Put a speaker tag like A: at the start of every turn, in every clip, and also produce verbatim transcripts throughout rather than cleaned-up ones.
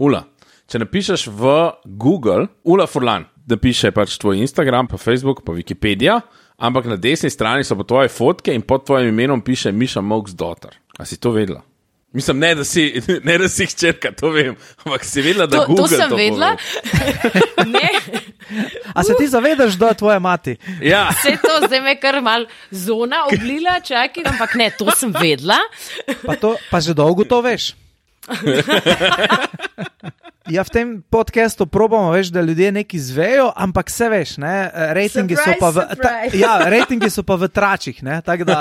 A: Ula, če napišeš v Google, Ula Furlan, da piše pač tvoj Instagram, pa Facebook, pa Wikipedia, ampak na desni strani so pa tvoje fotke in pod tvojim imenom piše Miša Molk's daughter. A si to vedela? Mislim, ne, da si, ne, da si hčerka, to vem, ampak si vedela, da
B: to,
A: Google
B: to sem
A: to
B: vedela. Ne.
C: A se ti zavedaš, da je tvoja mati?
A: Ja.
B: Vse to zdaj me kar mal zona oblila, čakaj, ampak ne, to sem vedela.
C: Pa, to, pa že dolgo to veš. Ja, v tem podcastu probamo, veš, da ljudje nekaj zvejo, ampak se veš, ne, rejtingi so pa v, ta, ja, rejtingi so pa v tračih, ne, tako da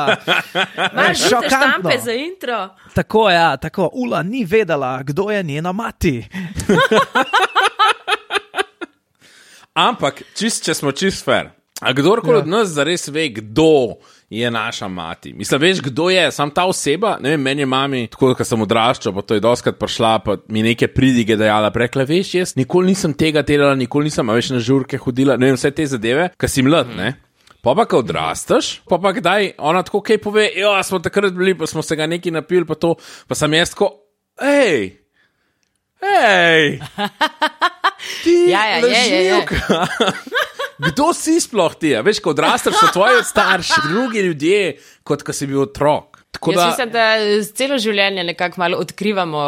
B: Imaš žute štampe za intro.
C: Tako, ja, tako, Ula ni vedela, kdo je njena mati.
A: Ampak, čist, če smo čist fair, a kdorkoli ja. od nas zares ve, kdo je naša mati. Mislim, veš, kdo je, sam ta oseba, ne vem, meni je mami, tako da sem odraščal, pa to je doskrat prišla, pa mi neke pridige dajala, prekla, veš, jaz nikoli nisem tega delala, nikoli nisem, a veš, na žurke hodila, ne vem, vse te zadeve, ka si mlad, ne? Pa pa, ko odrastaš, pa pa kdaj ona tako kaj pove, jo, smo takrat bili, pa smo se ga neki napili, pa to, pa sem jaz tako, hej, hej, ti
B: ja, ja,
A: lažnivka. Kdo si sploh ti? Veš, ko odrastaš, so tvoji starši, drugi ljudje, kot ko si bil otrok. Tako
B: Jaz
A: da...
B: mislim, da celo življenje nekako malo odkrivamo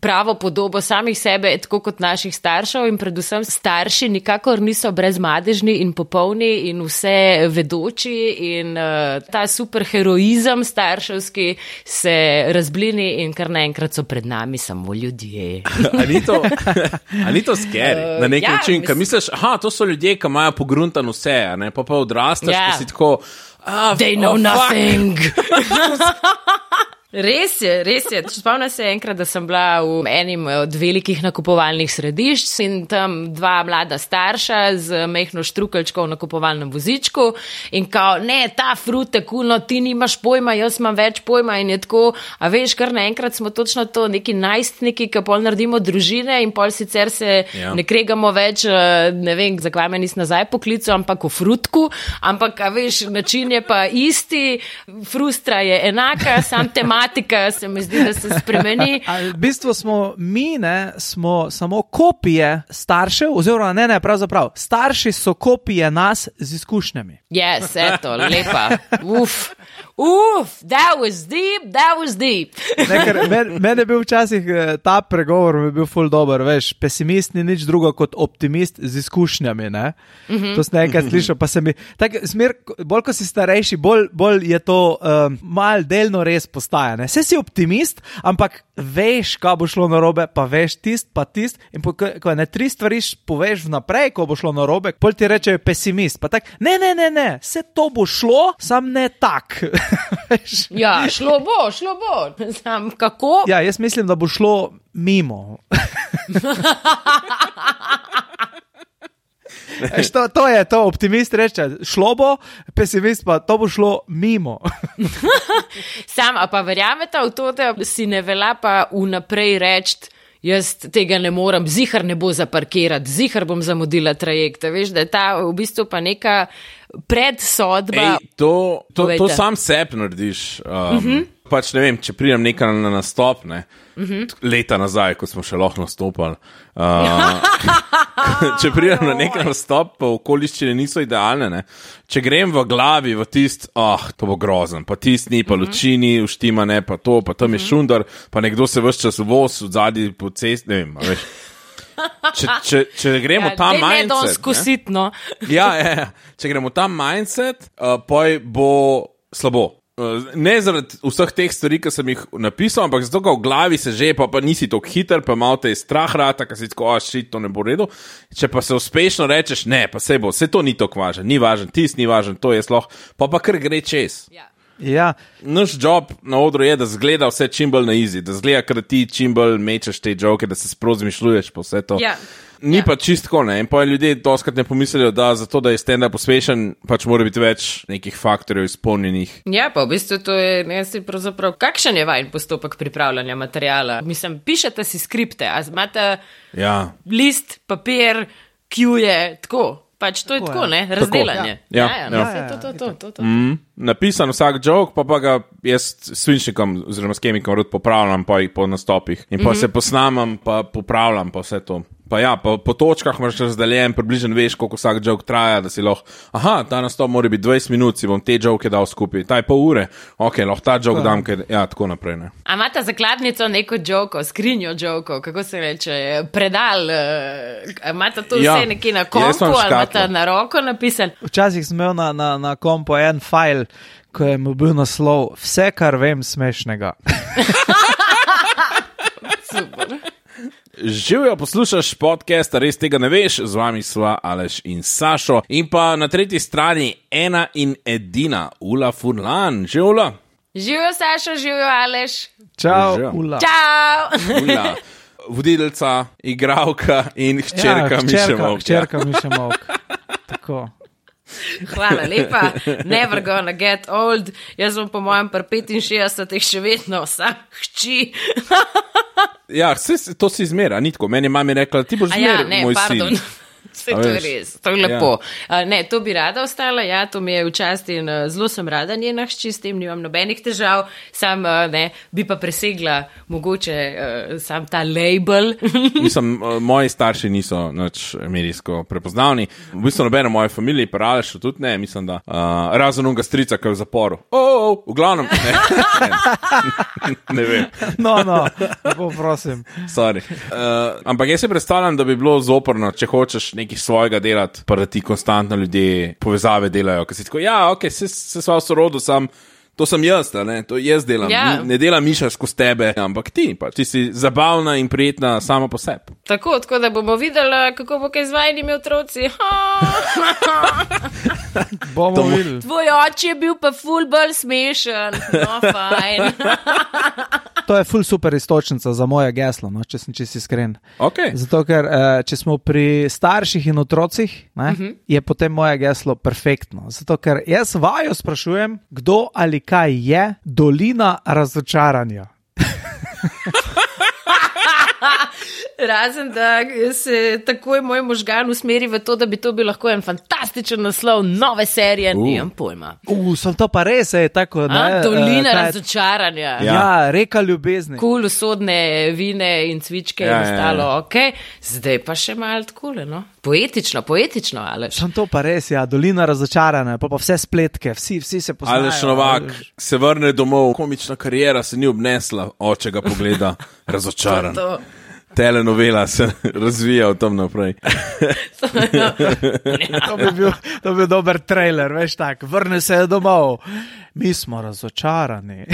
B: pravo podobo samih sebe, tako kot naših staršev in predvsem starši nikakor niso brezmadežni in popolni in vse vedoči in uh, ta superheroizem starševski se razblini in kar naenkrat so pred nami samo ljudje.
A: A ni to, a ni to scary? Na nek
B: ja,
A: način,
B: mis...
A: ka misliš, aha, to so ljudje, ki imajo pogruntan vse, a ne, pa pa odrastaš,
B: ja.
A: pa si tako... Ah,
B: They know
A: oh,
B: nothing. Res je, res je. Spomnim se enkrat, da sem bila v enim od velikih nakupovalnih središč in tam dva mlada starša z mehno štrukeljčko v nakupovalnem vozičku in kao, ne, ta frute, kulno, ti nimaš pojma, jaz imam več pojma in je tako, a veš, kar naenkrat smo točno to neki najstniki, ki pol naredimo družine in pol sicer se
A: ja.
B: ne kregamo več, ne vem, zakaj me nis nazaj poklical, ampak v frutku, ampak, a veš, način je pa isti, frustra je enaka, sam tema se mi zdi, da se spremeni.
C: V bistvu smo mi, ne, smo samo kopije staršev, oziroma ne, ne, pravzaprav, starši so kopije nas z izkušnjami.
B: Yes, eto, lepa. Uf, uf, that was deep, that was deep.
C: Meni men je bil včasih ta pregovor, mi je bil ful dober, veš, pesimist ni nič drugo kot optimist z izkušnjami, ne. Mm-hmm. To sem nekaj slišal, pa se mi, tak smer, bolj ko si starejši, bolj, bolj je to um, mal delno res postaja. Vse si optimist, ampak veš, kaj bo šlo narobe, pa veš tist, pa tist, in po, ko ne tri stvari poveš vnaprej, ko bo šlo narobe, pol ti reče pesimist, pa tak, ne, ne, ne, ne, vse to bo šlo, sam ne tak.
B: Ja, šlo bo, šlo bo, sam kako?
C: Ja, jaz mislim, da bo šlo mimo. To, to je to, optimist reče, šlo bo, pesimist pa, to bo šlo mimo.
B: Sam, a pa verjameta v to, da si ne velja pa vnaprej reči, jaz tega ne morem, zihar ne bo zaparkirati, zihar bom zamudila trajekta, veš, da je ta v bistvu pa neka predsodba.
A: Ej, to, to, to sam sep narediš. Um, uh-huh. Pač ne vem, če pridem nekaj na nastop, ne, uh-huh. leta nazaj, ko smo še lahko nastopali. Uh, če pridem na nekaj nastop, pa okoliščine niso idealne, ne. Če grem v glavi v tist, ah, oh, to bo grozen, pa tist ni, pa uh-huh. lučini, uštima ne, pa to, pa tam uh-huh. je šundar, pa nekdo se ves čas voz v zadnji po cest, ne vem, veš. Če, če, če gremo
B: ja,
A: ta mindset,
B: ne, skusit, no.
A: ja, ja, če gremo ta mindset, uh, poj bo slabo. Uh, ne zaradi vseh teh stvari, ki sem jih napisal, ampak zato, ko v glavi se že, pa, pa nisi tako hiter, pa malo te je strah rata, ka si tako, a šit, to ne bo redo. Če pa se uspešno rečeš, ne, pa se bo, vse to ni tako važen, ni važen, tis ni važen, to je sloh, pa pa kar gre čez.
B: Ja.
C: Ja.
A: Naš job na odru je, da zgleda vse čim bolj na easy, da zgleda, ker ti čim bolj mečeš te joke, da se sprozmišljuješ po vse to.
B: Ja.
A: Ni
B: ja.
A: pa čistko, ne, in pa ljudje doskrat ne pomislijo, da zato, da je stand-up uspešen, pač mora biti več nekih faktorjev izpolnjenih.
B: Ja, pa v bistvu to je, ne si pravzaprav, kakšen je vajen postopek pripravljanja materijala? Mislim, pišete si skripte, a imate
A: ja.
B: list, papir, kjuje, tako. Pač to je
C: Tako
B: tako,
C: je.
B: ne, razdelanje.
A: Ja.
B: ja,
A: Ja,
B: no,
A: ja.
B: saj to, to, to, to, to.
A: Mm, napisan vsak joke, pa pa ga jaz s svinčnikom oziroma s kemikom rad popravljam po, po nastopih. In pa mm-hmm. se posnamem, pa popravljam, pa vse to. Pa ja, pa po točkah imaš razdeljen, približno veš, koliko vsak joke traja, da si lahko, aha, ta nastop mora biti dvajset minut, si bom te joke dal skupaj, ta je pol ure, ok, lahko ta joke
C: Ja.
A: dam, ker, ja, tako naprej, ne.
B: A imate zakladnico neko joko, skrinjo jokov, kako se reče, predal, uh, imate to vse
A: Ja,
B: nekje na
A: jaz
B: kompu
A: imam
B: ali imate
A: škatlo.
B: na roko napisan?
C: Včasih sem imel na, na, na kompu en fajl, ko je mu bil naslov Vse, kar vem smešnega.
B: Super.
A: Živijo, poslušaš podcast, res tega ne veš, z vami sva Aleš in Sašo. In pa na tretji strani ena in edina, Ula Furlan. Živijo, Ula?
B: Živijo, Sašo, živijo, Aleš.
C: Čau,
A: Živijo.
C: Ula.
B: Čau!
A: Ula, voditeljica, igralka in hčerka
C: ja,
A: Miše Molk.
C: Hčerka Miše Molk. Tako.
B: Hvala lepa, never gonna get old. Jaz bom po mojem pri petinšestdesetih še vedno vsa hči.
A: Ja, vse, to si izmera, ni tako. Meni je mami rekla, ti boš
B: A ja,
A: zmer
B: ne,
A: moj
B: pardon.
A: sin.
B: Vse
A: A
B: to je
A: veš?
B: res, to je lepo. Ja. Ne, to bi rada ostala, ja, to mi je v čast in uh, zelo sem rada njena hči, s tem nimam nobenih težav, sam uh, ne, bi pa presegla mogoče uh, sam ta label.
A: Mislim, uh, moji starši niso nič medijsko prepoznavni. V bistvu nobeno moje familije, pa Aleš tudi ne, mislim, da uh, razen unga strica, ki je v zaporu. O, oh, oh, v glavnem, ne, ne, ne vem.
C: No, no, lepo prosim.
A: Sorry. Uh, ampak jaz si predstavljam, da bi bilo zoporno, če hočeš nekaj svojega delati, pa da ti konstantno ljudje povezave delajo, ker si tako, ja, ok, se, se sva v sorodu, sam, to sem jaz, ne, to jaz delam,
B: Ja.
A: Ni, ne dela Miša skozi tebe, ampak ti, pa ti si zabavna in prijetna sama po sebi.
B: Tako, tako da bomo videli, kako bo kaj z vajnimi otroci.
C: Bomo
A: To mo-
C: videli.
B: Tvoj oče je bil pa ful bolj smešen. No, fajn.
C: To je ful super istočnica za moje geslo, no, če sem čisto iskren.
A: Okay.
C: Zato, ker eh, če smo pri starših in otrocih, ne, uh -huh. je potem moje geslo perfektno. Zato, ker jaz vaju sprašujem, kdo ali kaj je dolina razočaranja.
B: Razen, da se takoj moj možgan usmeri v to, da bi to bil lahko en fantastičen naslov nove serije,
A: Uh.
B: nimam pojma.
C: Uh, sem to pa res, je tako. Ne,
B: A, dolina
C: eh, kaj-
B: razočaranja.
A: Ja.
C: Ja, ja, reka ljubezni.
B: Kul, usodne vine in cvičke
A: Ja,
B: in
A: ja, ja.
B: ostalo, ok. Zdaj pa še malo takole, no. Poetično, poetično, Aleš.
C: Sem to pa res, ja, dolina razočaranja, pa, pa vse spletke, vsi, vsi se poznajo.
A: Aleš Novak se vrne domov, komična karijera se ni obnesla, oče ga pogleda, razočaran.
B: To.
A: Telenovela se razvija od tam naprej.
C: To bi bil, to bi bil dober trailer, veš tak, vrne se domov. Mi smo razočarani.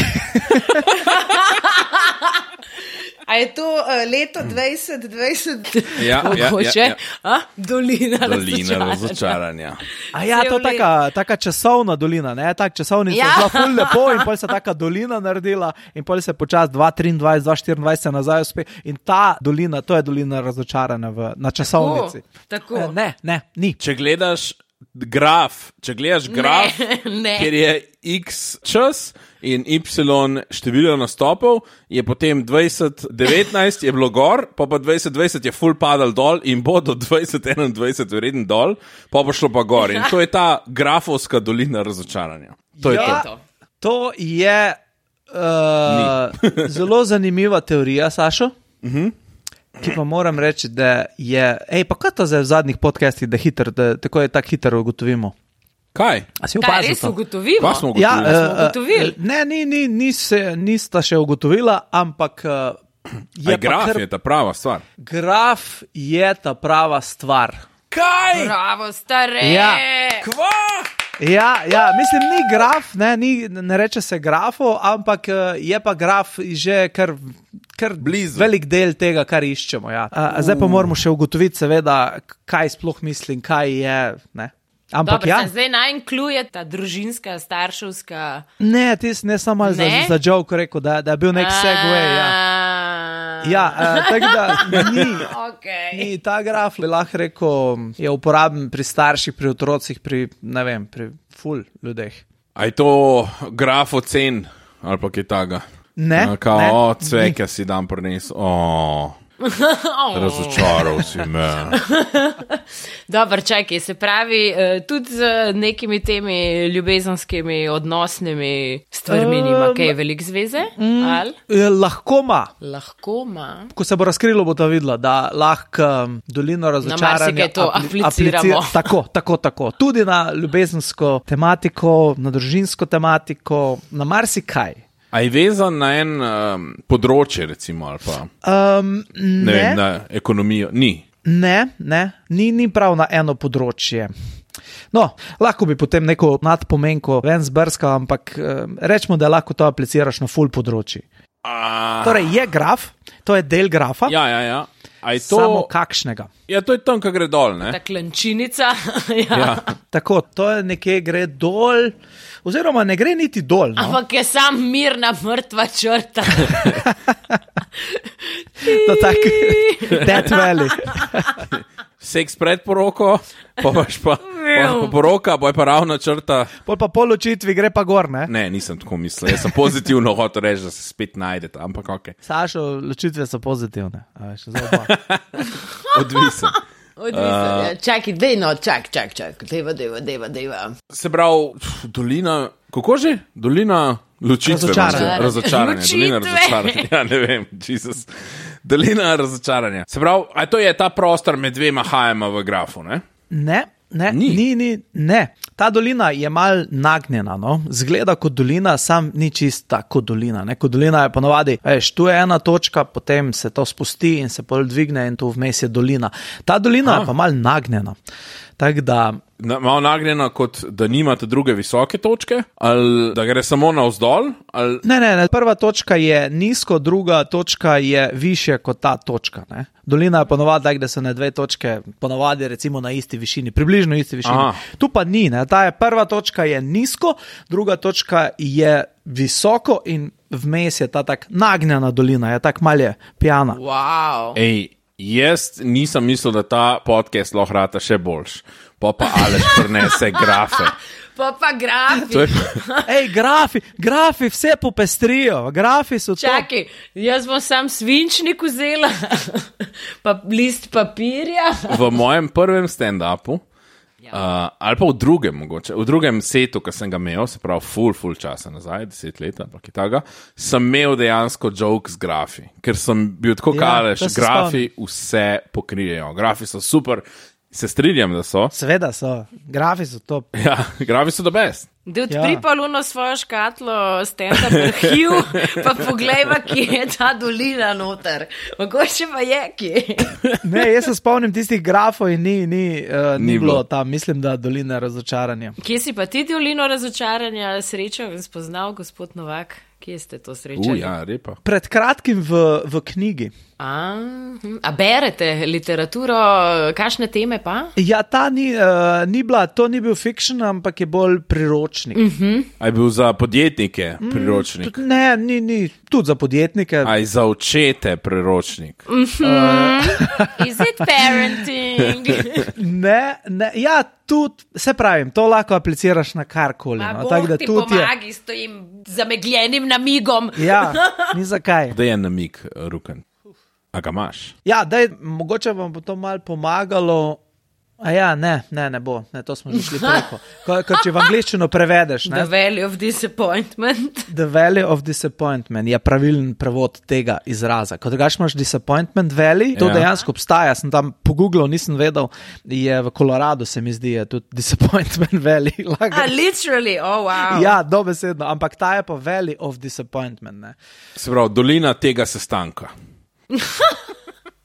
B: A je to uh, leto dvajset dvajset?
A: Ja, ja,
B: Mogoče?
A: ja, ja.
B: A? Dolina,
A: Dolina
B: razočaranja.
A: razočaranja.
C: A ja, to je
B: Cel
C: taka, taka časovna dolina, ne, tak časovnica
B: Ja.
C: je bila ful lepo in pol se taka dolina naredila in pol se počas dva triindvajset, dva štiriindvajset se nazaj uspe in ta dolina, to je dolina razočarana v, na časovnici.
B: Tako.
C: Eh, Ne, ne, ni.
A: Če gledaš graf, če gledaš graf,
B: ne.
A: kjer je x čas in y število nastopov, je potem dvajset devetnajst je bilo gor, pa pa dvajset dvajset je full padal dol in bo do dvajset enaindvajset vreden dol, pa bo šlo pa gor. In to je ta grafovska dolina razočaranja. To je
C: Ja.
A: to.
C: To je uh, zelo zanimiva teorija, Sašo. Uh-huh. Ki pa moram reči, da je. Ej, pa kaj to zdaj v zadnjih podcastih, da, hiter, da tako je tako hitro ugotovimo?
A: Kaj?
C: A si
B: Kaj
C: opazil
B: res
C: to?
B: ugotovimo?
A: Kaj smo
C: Ja,
A: ugotovili?
B: smo ugotovili?
C: uh, ne, ni, ni, ni se, nista še ugotovila, ampak uh, je
A: Aj, graf
C: pa kar,
A: je ta prava stvar.
C: graf je ta prava stvar.
A: Kaj?
B: Bravo, stare.
C: Ja.
A: Kva?
C: Ja, ja, mislim, ni graf, ne, ni, ne reče se grafo, ampak uh, je pa graf že kar, kar
A: Blizu.
C: velik del tega, kar iščemo. Ja. Uh, zdaj pa moramo še ugotoviti, seveda, kaj sploh mislim, kaj je. Ne. Ampak
B: Dobro,
C: ja,
B: se zdaj najnkluje ta družinska, starševska.
C: ne, ti si ne samo za,
B: Ne?
C: za joke rekel, da, da je bil nek segway. Ja, ja uh, tako da ni.
B: Okay.
C: Ni, ta graf, bi lahko rekel, je uporaben pri starših, pri otrocih, pri, ne vem, pri ful ljudeh.
A: A je to graf ocen ali pa kaj taga?
C: Ne,
A: Kao,
C: ne,
A: o, cveke si dan prines. O. Razočaral si me.
B: Dobro, čakaj, se pravi, tudi z nekimi temi ljubezenskimi odnosnimi stvarmi nima kaj velik zveze?
C: Mm, lahko ima.
B: Lahko ima.
C: Ko se bo razkrilo, bo to videla, da lahko um, dolino razočaranja...
B: Na marsikaj to apli- apliciramo.
C: Aplicir, tako, tako, tako. Tudi na ljubezensko tematiko, na družinsko tematiko, na marsikaj.
A: A je vezan na en um, področje, recimo, ali pa
C: um, ne,
A: ne vem, na ekonomijo? Ni.
C: Ne, ne, ni, ni prav na eno področje. No, lahko bi potem neko nadpomenko ven zbrskal, ampak um, rečemo, da lahko to apliciraš na full področji.
A: A...
C: Torej, je graf, to je del grafa,
A: Ja, ja, ja. A je to...
C: samo kakšnega.
A: Ja, to je tam, ko gre dol, ne?
B: Ta klančinica. ja.
A: Ja.
C: Tako, to je nekje gre dol, oziroma ne gre niti dol. No?
B: Ampak je sam mirna mrtva črta.
C: To tak, Death Valley.
A: Seks pred poroko, pa paš pa, pa, pa poroka, pa je pa ravna črta.
C: Pol pa po ločitvi gre pa gor, ne?
A: Ne, nisem tako mislil. Jaz sem pozitivno hotel reči, da se spet najdete, ampak ok.
C: Sašo, ločitve so pozitivne. A veš, zdaj pa.
A: Odvisen.
B: Odvisno, uh, čakaj, dej no, čak, čak, čak, deva, deva, deva, deva.
A: Se pravi, dolina, kako že? Dolina ločitve.
C: Razočaranja.
A: Razočaranja. Dolina
B: Ločitve.
A: razočaranja. Ja, ne vem, Jezus. Dolina razočaranja. Se pravi, a to je ta prostor med dvema hajama v grafu, ne?
C: Ne, ne,
A: Ni.
C: ni, ni, ne. Ta dolina je mal nagnjena, no? Zgleda kot dolina, sam ni čista kot dolina. Ne? Kot dolina je ponovadi, veš, tu je ena točka, potem se to spusti in se pol dvigne in tu vmes je dolina. Ta dolina
A: Aha.
C: je pa mal nagnjena. Tako da,
A: Na, malo nagnjena, kot da nimate druge visoke točke, ali da gre samo navzdol, ali...
C: ne, ne, ne, prva točka je nizko, druga točka je više kot ta točka. Ne? Dolina je ponovadi tak, da so na dve točke ponovadi recimo na isti višini, približno isti višini.
A: Aha.
C: Tu pa ni, ne? Ta je prva točka je nizko, druga točka je visoko in vmes je ta tak nagnjena dolina, je tak malje pijana.
B: Wow.
A: Ej, jaz nisem mislil, da ta podcast lahko rata še boljš. Pa pa Aleš prinese grafe.
B: Pa pa grafi.
A: To je...
C: Ej, grafi, grafi vse popestrijo, grafi so to.
B: Čakaj, jaz bom sam svinčnik vzela, pa list papirja.
A: V mojem prvem stand-upu, uh, ali pa v drugem, mogoče, v drugem setu, ki sem ga imel, se pravi, full, full časa nazaj, deset let, ampak je taga, sem imel dejansko joke z grafi, ker sem bil tako
C: Ja,
A: kaleš,
C: to se
A: grafi vse pokrijejo, grafi so super, se strinjam, da so.
C: Seveda so, grafi so top.
A: Ja, grafi so the best.
B: Da
C: Ja.
B: odpri pa luno svojo škatlo stand-up arhiv, pa poglejva, kje je ta dolina noter. Mogoče pa je, kje.
C: Ne, jaz se spomnim tistih grafov in ni, ni, uh, ni,
A: Ni
C: bilo
A: bilo.
C: tam, mislim, da dolina razočaranja.
B: Kje si pa ti dolino razočaranja srečal in spoznal, gospod Novak? Kje ste to
A: U,
B: srečali?
A: ja, repa.
C: Pred kratkim v, v knjigi.
B: A, hm. A berete literaturo, kakšne teme pa?
C: Ja, ta ni, uh, ni bila, to ni bil fiction, ampak je bolj priročnik. Mm.
A: A je bil za podjetnike priročnik?
C: Tudi, ne, ni, ni, tudi za podjetnike.
A: A je za očete priročnik?
B: Is it parenting?
C: Ne, ne, ja, tudi, se pravim, to lahko apliciraš na karkoli.
B: Ma
C: No,
B: Bog
C: tako da
B: ti
C: tudi je.
B: pomagi s tojim zamegljenim namigom.
C: Ja, ni zakaj.
A: Da je namik, Ruken. A ga imaš?
C: Ja, daj, mogoče vam bo to malo pomagalo. A ja, ne, ne, ne bo, ne, to smo že šli preko. Ko, ko če v angliščino prevedeš, ne?
B: The value of disappointment.
C: The value of disappointment je pravilen prevod tega izraza. Ko drugače imaš disappointment valley, to
A: Ja.
C: dejansko obstaja, sem tam pogooglal, nisem vedel, je v Koloradu, se mi zdi, je tudi disappointment valley.
B: Ah, literally, oh wow.
C: Ja, dobesedno, ampak ta je pa valley of disappointment, ne.
A: Se pravi, dolina tega sestanka.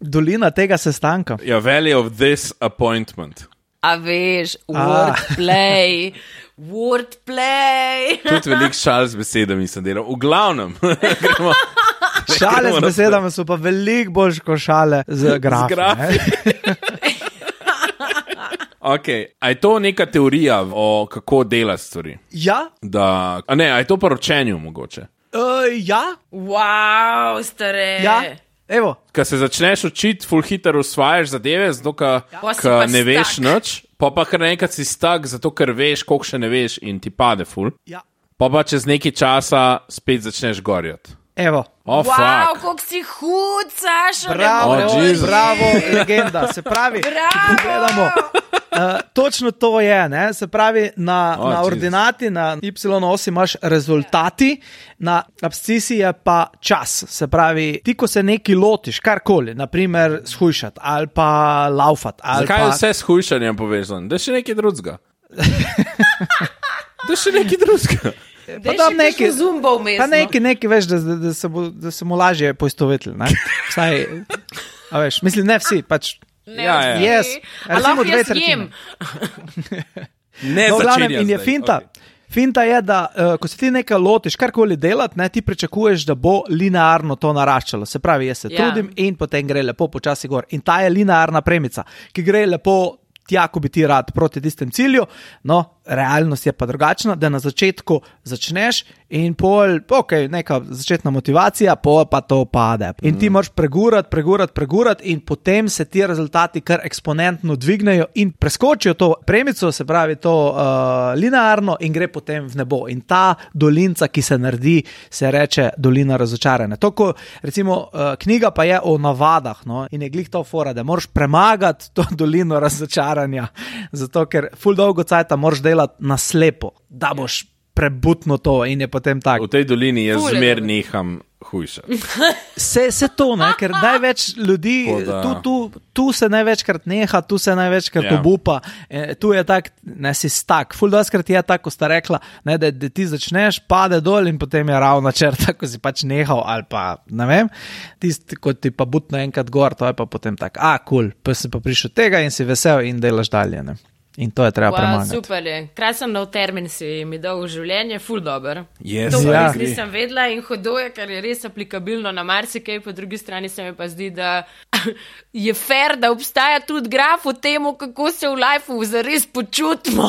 C: Dolina tega sestanka.
A: Ja, valley of this appointment.
B: A veš, wordplay, wordplay.
A: Tudi velik šal z besedami sem delal. V glavnem. gremo,
C: Šale
A: gremo
C: z besedami so pa veliko bolj kot šale z grafi.
A: grafi. Okay. A je to neka teorija o kako dela stvari?
C: Ja,
A: Da, a ne, a je to pa ročenju mogoče?
C: uh, ja,
B: Wow, stare.
C: ja, evo.
A: Ko se začneš učiti, full hitro usvajaš zadeve, zato ker
B: Pa si pa
A: ne veš
B: stuck.
A: nič, pa pa kar enkrat si stak, zato ker veš, koliko še ne veš in ti pade full.
C: Ja.
A: Pa pa čez nekaj časa spet začneš gorjati.
C: Evo.
A: Oh,
B: wow,
A: fuck.
B: koliko si hud, Saša.
C: Bravo,
A: Oh, Jesus.
C: bravo, legenda. Se pravi, če pogledamo, uh, točno to je, ne? Se pravi, na,
A: Oh,
C: na
A: Jesus.
C: ordinati, na Y osi imaš rezultati, na abscisi je pa čas. Se pravi, ti, ko se neki lotiš, karkoli, naprimer shujšati ali pa laufati. Ali
A: Zakaj
C: pa...
A: je vse s hujšanjem povezano? Da je še nekaj drugega. Da je še nekaj drugega.
B: Da je
C: dam
B: še
C: nekaj-
B: nekaj zumba vmes.
C: Pa neki, neki veš, da, da, da, se bo, da se mu lažje poistovetili. Ne? Vsaj, a veš, mislim, ne vsi, pač.
B: Ne,
A: Ja, ja.
C: Yes.
B: A
C: Recimo
B: lahko
C: dve
B: jaz
C: tretjine.
B: jem.
A: Ne,
C: No, v glavnem,
A: začenjam
C: in je
A: zdaj.
C: finta.
A: Okay.
C: Finta je, da uh, ko se ti nekaj lotiš, karkoli delati, ne, ti pričakuješ, da bo linearno to naraščalo. Se pravi, jaz se
B: Ja.
C: trudim in potem gre lepo počasi gor. In ta je linearna premica, ki gre lepo tja, ko bi ti rad proti tistem cilju. No, realnost je pa drugačna, da na začetku začneš in pol, ok, neka začetna motivacija, pol pa to pade. In ti moraš pregurati, pregurati, pregurati in potem se ti rezultati kar eksponentno dvignejo in preskočijo to premico, se pravi to uh, linearno in gre potem v nebo. In ta dolinca, ki se naredi, se reče dolina razočaranja. To, ko recimo uh, knjiga pa je o navadah, no, in je glih to fora, da moraš premagati to dolino razočaranja, zato ker ful dolgo cajta moraš delati na slepo, da boš prebutno to in je potem tako.
A: V tej dolini jaz
B: Ful je
A: zmer
B: dobro.
A: neham hujšati.
C: Se, se to, ne, ker največ ljudi,
A: Tako da-
C: tu, tu, tu se največkrat neha, tu se največkrat
A: Ja.
C: obupa, e, tu je tak, ne si stak, ful doskrat je tako, ko sta rekla, ne, da, da ti začneš, pade dol in potem je ravna črta, ko si pač nehal ali pa, ne vem, tisti, ko ti pa butno enkrat gor, to je pa potem tak, a, kul, cool, pa si pa prišel tega in si vesel in delaš dalje, ne. In to je treba
B: Wow,
C: premagati.
B: super je. Krasen nov termin si mi dal v življenje, ful dober.
A: Yes,
B: To
C: Ja.
B: res nisem vedela in hudo je, ker je res aplikabilno na marsikaj, po drugi strani se mi pa zdi, da je fair, da obstaja tudi graf o tem, kako se v lifeu zares počutimo.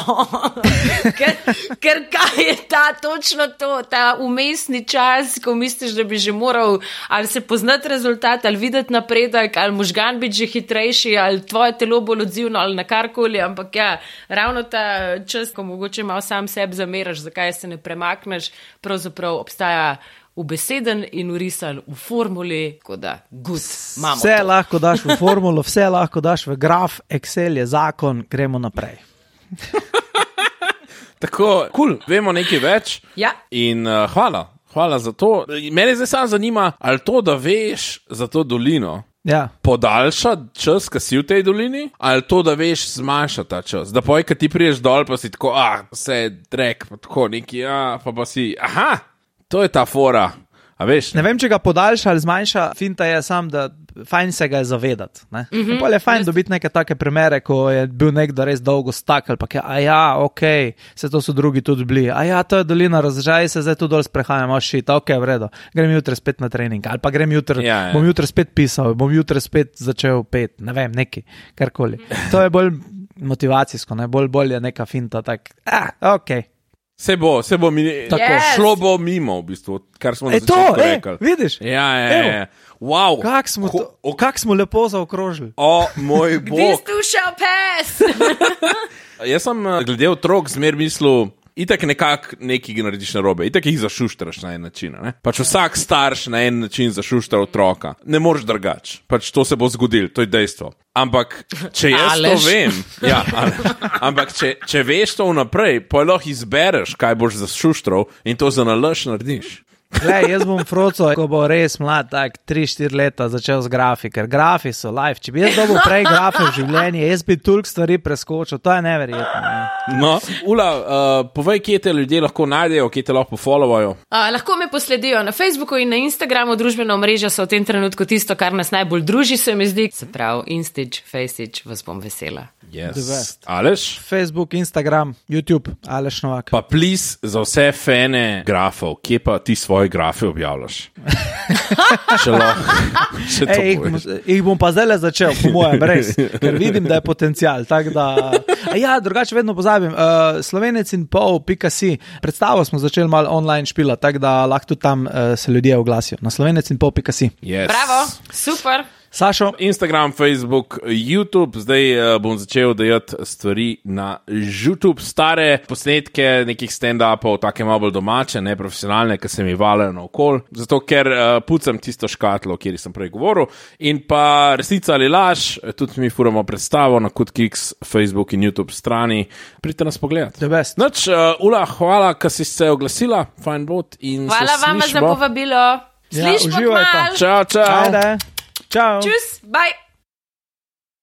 B: ker, ker kaj je ta točno to, ta umestni čas, ko misliš, da bi že moral ali se poznati rezultat, ali videti napredek, ali možgan biti že hitrejši, ali tvoje telo bolj odzivno, ali na karkoli, ampak ja, ravno ta čas, ko mogoče malo sam sebi zameraš, zakaj se ne premakneš, pravzaprav obstaja ubeseden in urisan v formuli, tako da good, imamo
C: Vse
B: to.
C: lahko daš v formulo, vse lahko daš v graf, Excel je zakon, gremo naprej.
A: Tako, kul, cool, vemo nekaj več.
B: Ja.
A: In uh, hvala, hvala za to. Mene zdaj samo zanima, ali to, da veš za to dolino,
C: Ja.
A: podaljša čas, ki si v tej dolini, ali to, da veš, zmanjša ta čas. Da poj, ki ti priješ dol, pa si tako, ah, vse je drek, pa tako neki, ah, pa pa si, aha, to je ta fora. A veš?
C: Ne vem, če ga podaljša ali zmanjša, finta je sam, da fajn se ga je zavedati. Ne? Mm -hmm. Je fajn dobiti neke take primere, ko je bil nekdo res dolgo stak ali pa je, a ja, ok, se to so drugi tudi bili, a ja, to je dolina razdržaj, se zdaj tu dol sprehajam, a šit, ok, v redu, grem jutri spet na trening ali pa grem jutri,
A: Ja, ja.
C: bom jutri spet pisal, bom jutri spet začel pet, ne vem, neki, karkoli. To je bolj motivacijsko, ne? bolj, bolj je neka finta, tak, a, ok.
A: Se bo, se bo, mi,
C: Tako.
B: Yes.
A: šlo bo mimo, v bistvu, kar smo na
C: E to,
A: začetku
C: e,
A: rekli.
C: vidiš?
A: Ja, ja,
C: Evo.
A: ja. Wow.
C: Kak smo,
A: Ho-
C: to, kak smo lepo zaokrožili.
A: O moj
B: This
A: bog.
B: too shall pass.
A: Jaz sem eh, glede otrok zmer mislil, itak nekako nekaj narediš narobe, itak jih zašuštraš na en način. Ne? Pač vsak starš na en način zašuštra otroka. Ne moreš drugače. Pač to se bo zgodilo, to je dejstvo. Ampak, če jaz
B: Aleš.
A: to vem, ja, ali, ampak če, če veš to vnaprej, pa lahko izbereš, kaj boš zašuštral in to za nalaž narediš.
C: Glej, jaz bom froco, ko bo res mlad, tak tri štiri leta začel z grafi, ker grafi so life. Če bi jaz dobil prej grafe v življenju, jaz bi toliko stvari preskočil, to je neverjetno. Ne?
A: No, Ula, uh, povej, kje te ljudje lahko najdejo, kje te lahko followajo.
B: Uh, lahko me posledijo na Facebooku in na Instagramu, družbena omrežja so v tem trenutku tisto, kar nas najbolj druži, se mi zdi. Se pravi, Instič, Faceič, vas bom vesela.
A: Yes. Aleš?
C: Facebook, Instagram, YouTube, Aleš Novak.
A: Pa plis za vse fene grafov, kje pa ti svoje grafe objavljaš? Če lahko, še to
C: Ej, jih,
A: poveš.
C: bom- jih bom pa zdaj začel, po mojem, res, ker vidim, da je potencial. Tak da, a ja, drugače vedno pozabim. Uh, Slovenec in pol, pika si, predstavo smo začeli malo online špila, tako da lahko tudi tam uh, se ljudje oglasijo. Na slovenec in pol, pika si.
A: Yes.
B: Bravo, super.
C: Sašo.
A: Instagram, Facebook, YouTube, zdaj uh, bom začel dajati stvari na YouTube, stare posnetke nekih stand-upov, take malo bolj domače, ne profesionalne, ki se mi valijo naokol, zato ker uh, pucam tisto škatlo, kjer sem prej govoril, in pa resnica ali laž, tudi mi furamo predstavo na Kutkiks, Facebook in YouTube strani, pridite nas pogledat. Noč, uh, Ula, hvala, ker si se oglasila, fajn bot in
B: hvala
A: se
B: vama
A: slišmo.
B: Za povabilo. Slišmo
C: ja,
B: kmalu.
A: Čau, čau.
C: Ajde. Čau.
B: Čus, bye.